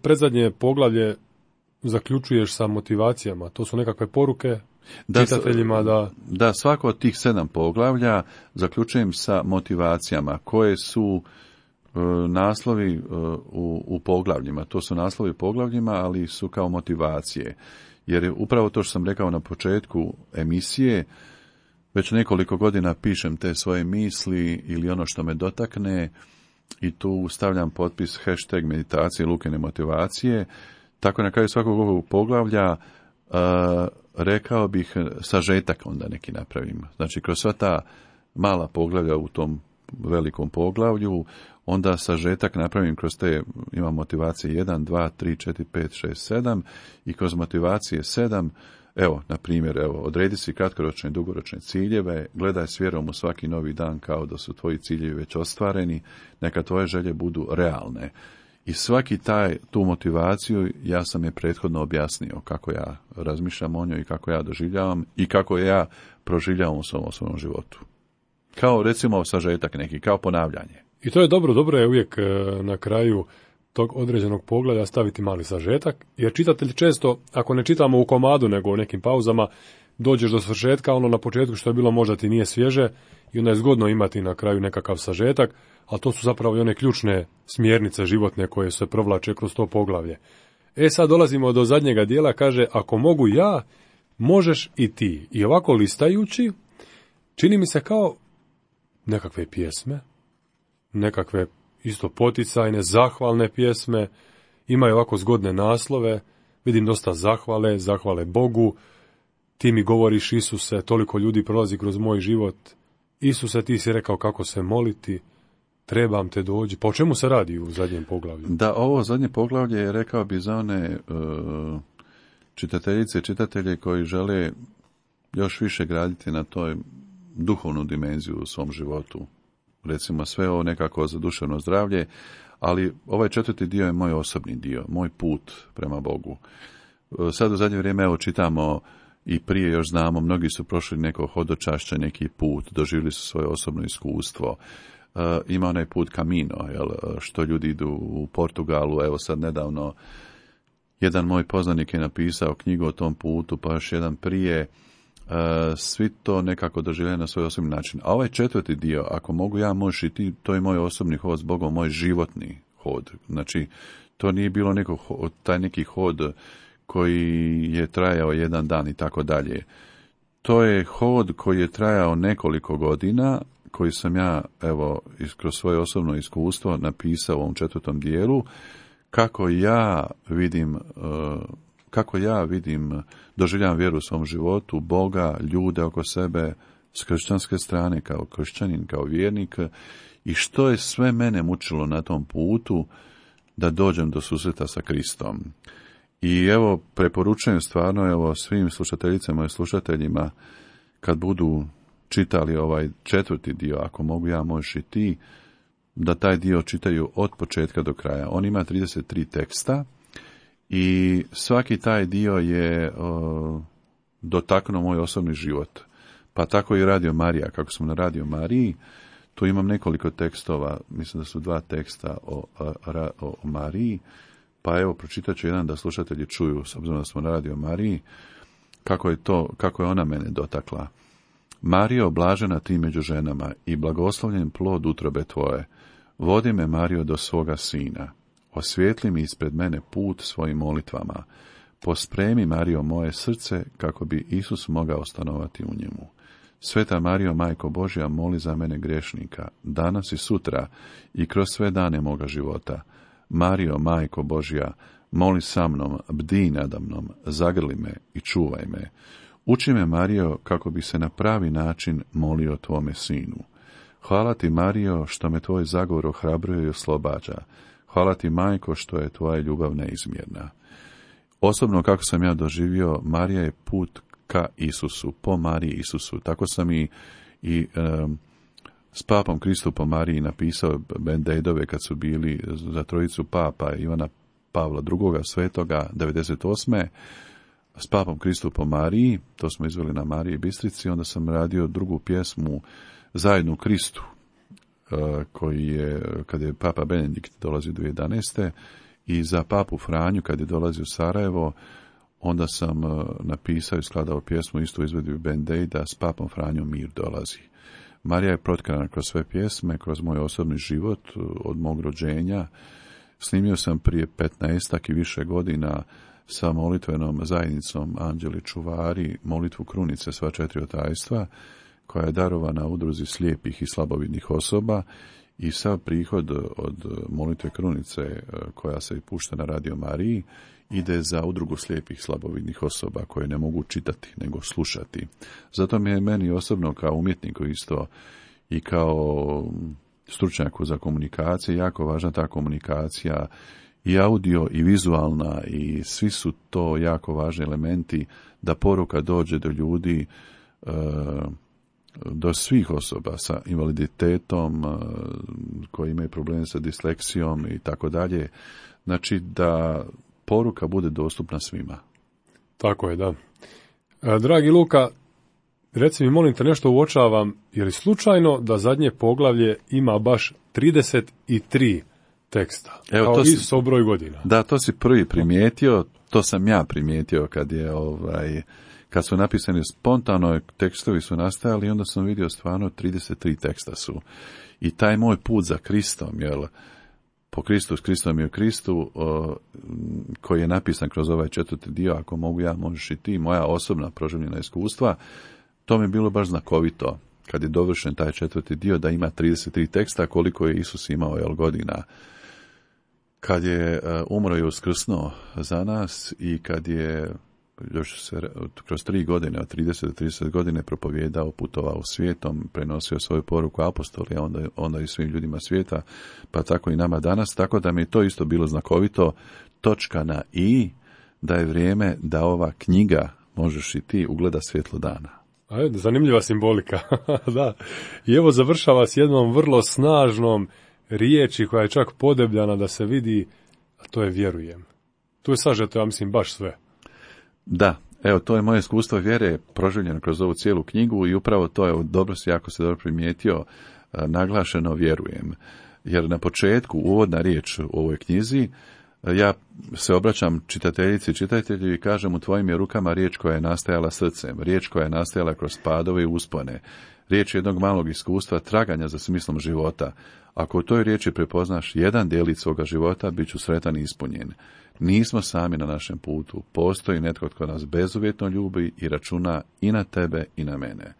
[SPEAKER 2] predzadnje poglavlje zaključuješ sa motivacijama. To su nekakve poruke čitateljima da...
[SPEAKER 3] Da, svako od tih 7 poglavlja zaključujem sa motivacijama koje su naslovi u poglavljima. To su naslovi poglavljima, ali su kao motivacije. Jer je upravo to što sam rekao na početku emisije, već nekoliko godina pišem te svoje misli ili ono što me dotakne i tu stavljam potpis hashtag meditacije Lukine motivacije. Tako na kraju svakog ovog poglavlja rekao bih sažetak onda neki napravim. Znači kroz sva ta mala poglavlja u tom velikom poglavlju, onda sažetak napravim kroz te, imam motivacije 1, 2, 3, 4, 5, 6, 7 i kroz motivacije 7, evo, na primjer, odredi si kratkoročne i dugoročne ciljeve, gledaj s vjerom u svaki novi dan kao da su tvoji ciljevi već ostvareni, neka tvoje želje budu realne. I svaki tu motivaciju ja sam je prethodno objasnio kako ja razmišljam o njoj i kako ja doživljavam i kako ja proživljavam u svom osobnom životu. Kao recimo sažetak neki, kao ponavljanje.
[SPEAKER 2] I to je dobro je uvijek na kraju tog određenog poglavlja staviti mali sažetak, jer čitatelj često, ako ne čitamo u komadu nego u nekim pauzama, dođeš do svršetka, ono na početku što je bilo možda ti nije svježe i onda je zgodno imati na kraju nekakav sažetak, ali to su zapravo i one ključne smjernice životne koje se provlače kroz to poglavlje. Sad dolazimo do zadnjega dijela, kaže, ako mogu ja, možeš i ti. I ovako listajući, čini mi se kao nekakve pjesme, nekakve isto poticajne, zahvalne pjesme, imaju ovako zgodne naslove, vidim dosta zahvale Bogu, ti mi govoriš Isuse, toliko ljudi prolazi kroz moj život, Isuse, ti si rekao kako se moliti, trebam te dođi. Pa o čemu se radi u zadnjem poglavlju?
[SPEAKER 3] Da, ovo zadnje poglavlje je, rekao bi, za one čitateljice i čitatelje koji žele još više graditi na toj duhovnu dimenziju u svom životu. Recimo sve ovo nekako za duševno zdravlje, ali ovaj 4. dio je moj osobni dio, moj put prema Bogu. Sad u zadnje vrijeme evo čitamo i prije još znamo, mnogi su prošli neko hodočašće, neki put, doživjeli su svoje osobno iskustvo. Ima onaj put Camino, što ljudi idu u Portugalu, evo sad nedavno jedan moj poznanik je napisao knjigu o tom putu, pa još jedan prije, svi to nekako doživljaju na svoj osobni način. A ovaj četvrti dio, ako mogu ja, možeš i ti, to je moj osobni hod s Bogom, moj životni hod. Znači, to nije bilo taj neki hod koji je trajao jedan dan i tako dalje. To je hod koji je trajao nekoliko godina, koji sam ja, evo, kroz svoje osobno iskustvo napisao u ovom četvrtom dijelu, kako ja vidim, doživljavam vjeru u svom životu, Boga, ljude oko sebe, s kršćanske strane, kao kršćanin, kao vjernik, i što je sve mene mučilo na tom putu da dođem do susreta sa Kristom. I evo, preporučujem stvarno, evo, svim slušateljicama i slušateljima, kad budu čitali ovaj četvrti dio, ako mogu ja, možeš i ti, da taj dio čitaju od početka do kraja. On ima 33 teksta i svaki taj dio je dotaknuo moj osobni život. Pa tako i Radio Marija. Kako sam na Radio Mariji, tu imam nekoliko tekstova, mislim da su 2 teksta o Mariji, pa evo pročitat ću jedan da slušatelji čuju, s obzirom da smo na Radio Mariji, kako je ona mene dotakla. Marijo, blažena ti među ženama i blagoslovljen plod utrobe tvoje, vodi me, Marijo, do svoga sina. Osvijetli mi ispred mene put svojim molitvama. Pospremi, Marijo, moje srce, kako bi Isus mogao stanovati u njemu. Sveta Marijo, Majko Božja, moli za mene grešnika, danas i sutra i kroz sve dane moga života. Marijo, Majko Božja, moli sa mnom, bdi nadamnom, zagrli me i čuvaj me. Uči me, Marijo, kako bi se na pravi način molio tvome sinu. Hvala ti, Marijo, što me tvoj zagovor ohrabruje i oslobađa. Hvala ti, Majko, što je tvoja ljubav neizmjerna. Osobno, kako sam ja doživio, Marija je put ka Isusu, po Mariji Isusu. Tako sam i s papom Kristupom Mariji napisao Band-Aidove kad su bili za trojicu papa Ivana Pavla II. Svetoga 98. S papom Kristupom Mariji, to smo izveli na Mariji Bistrici, onda sam radio drugu pjesmu Zajedno u Kristu, koji je, kad je papa Benedikt dolazio 2011. i za papu Franju, kad je dolazio u Sarajevo, onda sam napisao i skladao pjesmu, isto izvedio Band-Aida, s papom Franjom mir dolazi. Marija je protkrana kroz sve pjesme, kroz moj osobni život, od mog rođenja. Snimio sam prije 15 i više godina sa molitvenom zajednicom Anđeli čuvari molitvu krunice sva 4 otajstva, koja je darovana udruzi slijepih i slabovidnih osoba, i sav prihod od molitve krunice koja se pušta na Radio Mariji ide za udrugu slijepih slabovidnih osoba koje ne mogu čitati nego slušati. Zato mi je meni osobno kao umjetniku isto i kao stručnjaku za komunikacije jako važna ta komunikacija, i audio i vizualna, i svi su to jako važni elementi da poruka dođe do ljudi, do svih osoba sa invaliditetom, koji imaju probleme sa disleksijom i tako dalje. Znači da poruka bude dostupna svima.
[SPEAKER 2] Tako je, da. Dragi Luka, reci mi, molim te, nešto uočavam, je li slučajno da zadnje poglavlje ima baš 33 teksta, evo, kao Isus o broj godina?
[SPEAKER 3] Da, to si prvi primijetio, to sam ja primijetio kad su napisani spontano, tekstovi su nastajali, onda sam vidio stvarno 33 teksta su. I taj moj put za Kristom, po Kristu, s Kristom i u Kristu, koji je napisan kroz ovaj četvrti dio, ako mogu ja, možeš i ti, moja osobna proživljena iskustva, to mi je bilo baš znakovito, kad je dovršen taj četvrti dio, da ima 33 teksta, koliko je Isus imao godina. Kad je umro i uskrsnuo za nas, i kad je još se kroz 3 godine, od 30 do 30 godine propovijedao, putovao svijetom, prenosio svoju poruku apostoli, a onda i svim ljudima svijeta, pa tako i nama danas, tako da mi je to isto bilo znakovito, točka na i, da je vrijeme da ova knjiga, možeš i ti, ugleda svjetlo dana.
[SPEAKER 2] Zanimljiva simbolika. Da. I evo završava s jednom vrlo snažnom riječi koja je čak podebljana da se vidi, a to je vjerujem. Tu je sažeto, ja mislim, baš sve.
[SPEAKER 3] Da, evo, to je moje iskustvo vjere proživljeno kroz ovu cijelu knjigu i upravo to je, dobro si, jako se dobro primijetio, naglašeno vjerujem. Jer na početku, uvodna riječ u ovoj knjizi, ja se obraćam čitateljici i čitatelju i kažem: u tvojim je rukama riječ koja je nastajala srcem, riječ koja je nastajala kroz padove i uspone, riječ jednog malog iskustva traganja za smislom života. Ako u toj riječi prepoznaš jedan djelić svoga života, bit ću sretan i ispunjen. Nismo sami na našem putu, postoji netko tko nas bezuvjetno ljubi i računa i na tebe i na mene.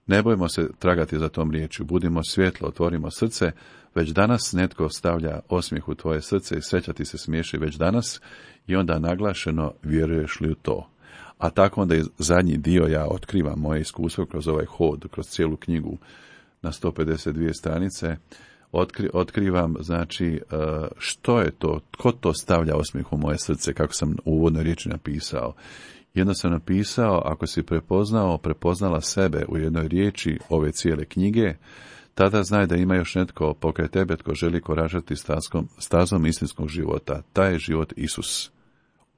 [SPEAKER 3] Ne bojmo se tragati za tom riječju, budimo svjetlo, otvorimo srce. Već danas netko stavlja osmijeh u tvoje srce i sreća ti se smiješi već danas, i onda naglašeno: vjeruješ li u to? A tako onda je zadnji dio, ja otkrivam moje iskustvo kroz ovaj hod, kroz cijelu knjigu na 152 stranice, otkrivam, znači, što je to, tko to stavlja osmijeh u moje srce, kako sam u uvodnoj riječi napisao. Jedno sam napisao: ako si prepoznala sebe u jednoj riječi ove cijele knjige, tada znaj da ima još netko pokraj tebe tko želi koračati stazom istinskog života. Taj je život Isus.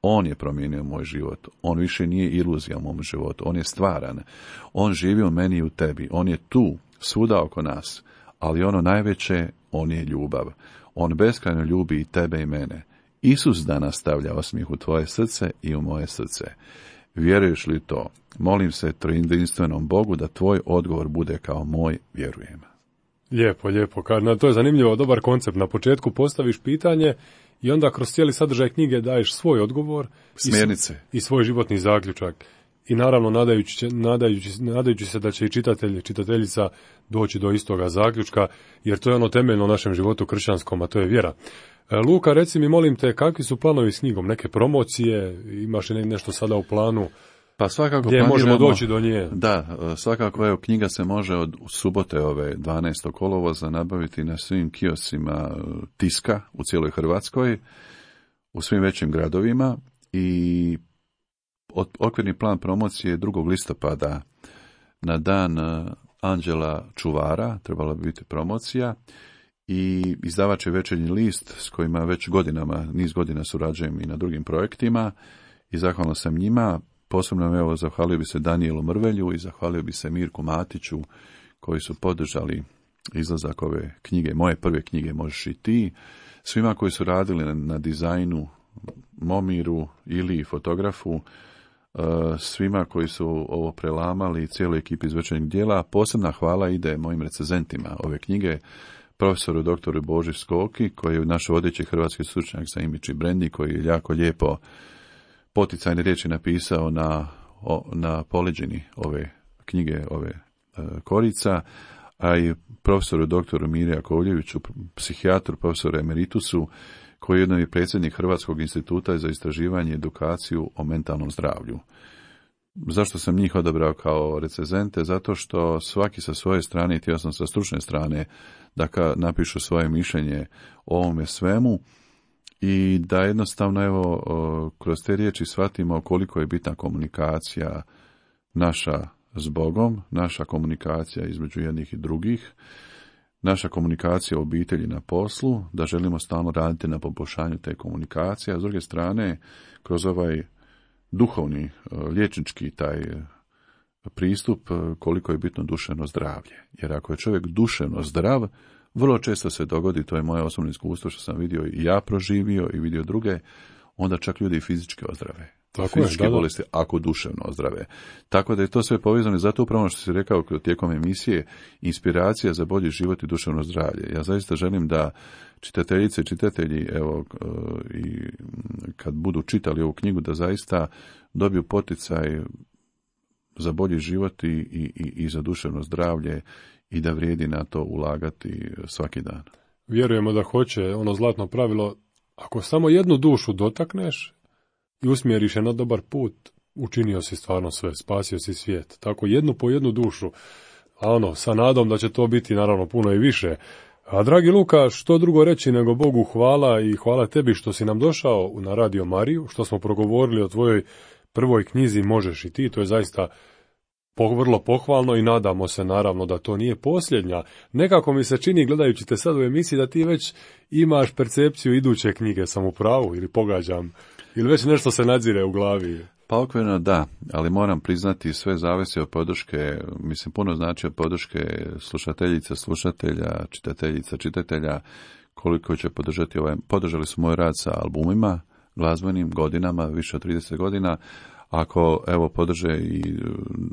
[SPEAKER 3] On je promijenio moj život. On više nije iluzija u mom životu. On je stvaran. On živi u meni i u tebi. On je tu, svuda oko nas. Ali ono najveće, on je ljubav. On beskrajno ljubi i tebe i mene. Isus danas stavlja osmijeh u tvoje srce i u moje srce. Vjeruješ li to? Molim se trojedinstvenom Bogu da tvoj odgovor bude kao moj: vjerujem.
[SPEAKER 2] Lijepo, lijepo. To je zanimljivo, dobar koncept. Na početku postaviš pitanje i onda kroz cijeli sadržaj knjige daješ svoj odgovor,
[SPEAKER 3] smjernice
[SPEAKER 2] i svoj životni zaključak. I naravno nadajući se da će i čitateljica doći do istoga zaključka, jer to je ono temeljno u našem životu kršćanskom, a to je vjera. Luka, reci mi, molim te, kakvi su planovi s knjigom? Neke promocije? Imaš li nešto sada u planu?
[SPEAKER 3] Pa svakako
[SPEAKER 2] gdje možemo doći do nje?
[SPEAKER 3] Da, svakako, evo, knjiga se može od subote ove 12. kolovoza nabaviti na svim kioscima tiska u cijeloj Hrvatskoj, u svim većim gradovima, i okvirni plan promocije je 2. listopada na dan Anđela Čuvara, trebala bi biti promocija, i izdavač je Večernji list s kojima već niz godina surađujem i na drugim projektima, i zahvalan sam njima. Posebno, evo, zahvalio bi se Danijelu Mrvelju i zahvalio bi se Mirku Matiću, koji su podržali izlazak ove knjige, moje prve knjige Možeš i ti, svima koji su radili na dizajnu, Momiru, Ili, fotografu, svima koji su ovo prelamali, cijeloj ekipi iz Večernjeg dijela. Posebna hvala ide mojim recenzentima ove knjige, profesoru doktoru Boži Skoki, koji je naš vodeći hrvatski stručnjak za imidž i branding, koji je jako lijepo poticajne riječi napisao na poleđini ove knjige, ove Korica, a i profesoru doktoru Miri Jakovljeviću, psihijatru, profesoru emeritusu, koji je jedno i predsjednik Hrvatskog instituta za istraživanje i edukaciju o mentalnom zdravlju. Zašto sam njih odabrao kao recenzente? Zato što svaki sa svoje strane, i htio sam sa stručne strane, da napišu svoje mišljenje o ovome svemu, i da jednostavno, evo, kroz te riječi shvatimo koliko je bitna komunikacija naša s Bogom, naša komunikacija između jednih i drugih, naša komunikacija u obitelji, na poslu, da želimo stalno raditi na poboljšanju te komunikacije, a s druge strane, kroz ovaj duhovni, liječnički taj pristup, koliko je bitno duševno zdravlje. Jer ako je čovjek duševno zdrav, vrlo često se dogodi, to je moje osobno iskustvo što sam vidio i ja proživio i vidio druge, onda čak ljudi i fizički ozdrave. Fizičke bolesti, ako duševno ozdrave. Tako da je to sve povezano, i zato upravo što si rekao tijekom emisije, inspiracija za bolji život i duševno zdravlje. Ja zaista želim da čitateljice i čitatelji, evo, i kad budu čitali ovu knjigu, da zaista dobiju poticaj za bolji život i za duševno zdravlje, i da vrijedi na to ulagati svaki dan.
[SPEAKER 2] Vjerujemo da hoće, ono zlatno pravilo: ako samo jednu dušu dotakneš i usmjeriš je na dobar put, učinio si stvarno sve, spasio si svijet. Tako jednu po jednu dušu, a sa nadom da će to biti naravno puno i više. A dragi Luka, što drugo reći nego Bogu hvala, i hvala tebi što si nam došao na Radio Mariju, što smo progovorili o tvojoj prvoj knjizi Možeš i ti. To je zaista vrlo pohvalno i nadamo se naravno da to nije posljednja. Nekako mi se čini, gledajući te sad u emisiji, da ti već imaš percepciju iduće knjige. Sam u pravu ili pogađam? Ili već nešto se nadzire u glavi?
[SPEAKER 3] Pa okvirno da, ali moram priznati sve zavisi od podrške, mislim puno znači od podrške slušateljica, slušatelja, čitateljica, čitatelja, koliko će podržati podržali su moj rad sa albumima, glazbenim godinama, više od 30 godina, ako evo podrže i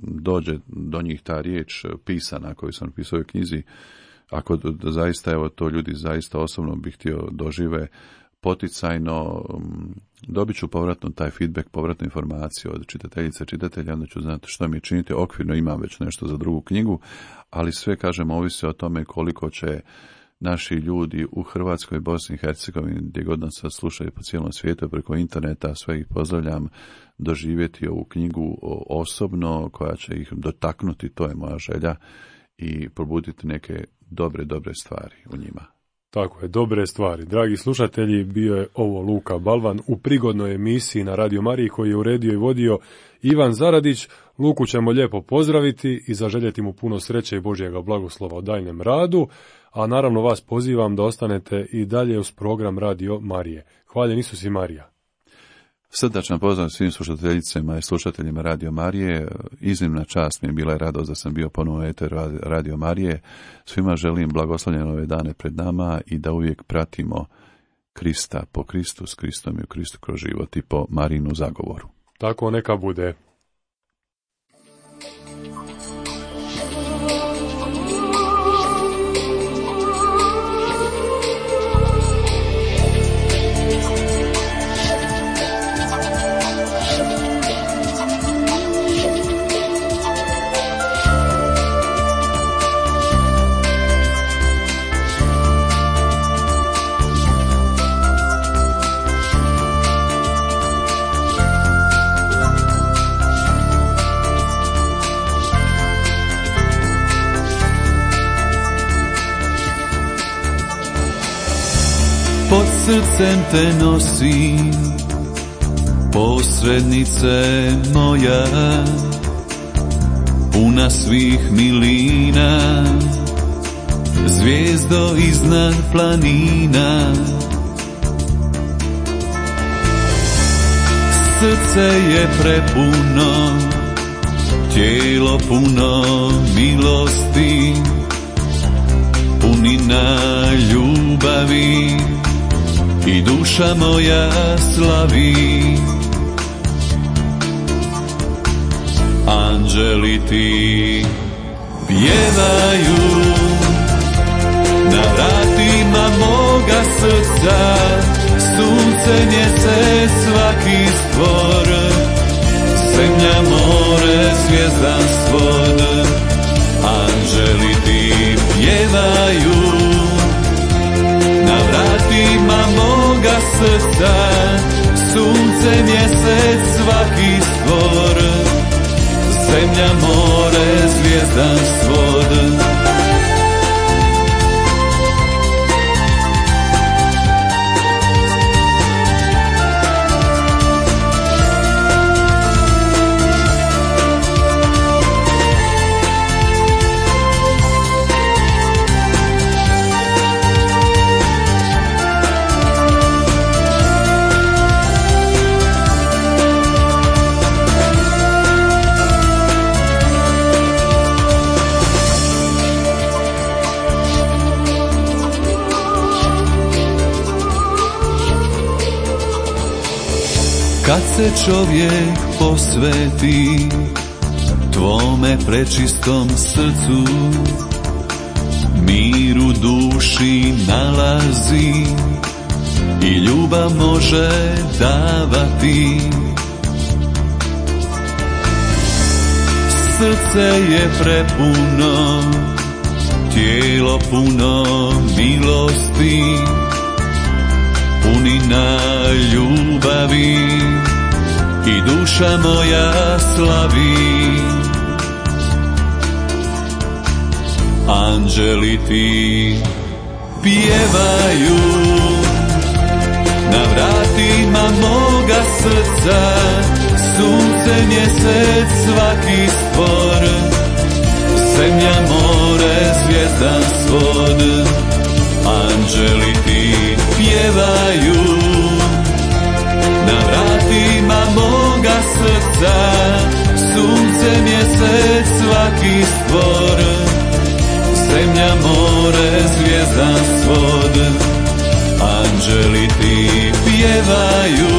[SPEAKER 3] dođe do njih ta riječ pisana koju sam napisao u knjizi, ako zaista evo to ljudi zaista osobno bih htio dožive poticajno, dobit ću povratno taj feedback, povratnu informaciju od čitateljice, čitatelja, onda ću znati što mi činiti. Okvirno imam već nešto za drugu knjigu, ali sve, kažem, ovisi o tome koliko će naši ljudi u Hrvatskoj, Bosni i Hercegovini, gdje god nas sad slušaju po cijelom svijetu, preko interneta, sve ih pozdravljam, doživjeti ovu knjigu osobno, koja će ih dotaknuti, to je moja želja, i probuditi neke dobre stvari u njima.
[SPEAKER 2] Tako je, dobre stvari. Dragi slušatelji, bio je ovo Luka Balvan u prigodnoj emisiji na Radio Mariji koji je uredio i vodio Ivan Zaradić. Luku ćemo lijepo pozdraviti i zaželjeti mu puno sreće i Božjega blagoslova u daljnjem radu, a naravno vas pozivam da ostanete i dalje uz program Radio Marije. Hvaljen Isus i Marija.
[SPEAKER 3] Srdačan pozdrav svim slušateljicama i slušateljima Radio Marije. Iznimna čast mi je bila i radost da sam bio ponovo u eteru Radio Marije. Svima želim blagoslovljene ove dane pred nama i da uvijek pratimo Krista po Kristu, s Kristom i u Kristu kroz život i po Marinu zagovoru.
[SPEAKER 2] Tako neka bude.
[SPEAKER 1] Pod srcem te nosim, posrednice moja, puna svih milina, zvijezdo iznad planina. Srce je prepuno, tijelo puno milosti, punina ljubavi i duša moja slavi. Anđeli ti pjevaju na vratima moga srca, sunce, mjesec, svaki stvor, zemlja, more, zvijezdan svod. Anđeli ti pjevaju na vratima moga srca, sunce, mjesec, svaki stvor, zemlja, more, zvijezdan svod. Kad se čovjek posveti tvome prečistom srcu, mir u duši nalazi i ljubav može davati. Srce je prepuno, tijelo puno milosti, punina ljubavi i duša moja slavi. Anđeli ti pjevaju na vratima moga srca, sunce, mjesec, svaki stvor, zemlja, more, zvijezdan svod. Anđeli ti pjevaju na vratima moga srca, sunce, mjesec, svaki stvor, zemlja, more, zvijezdan svod, anđeli ti pjevaju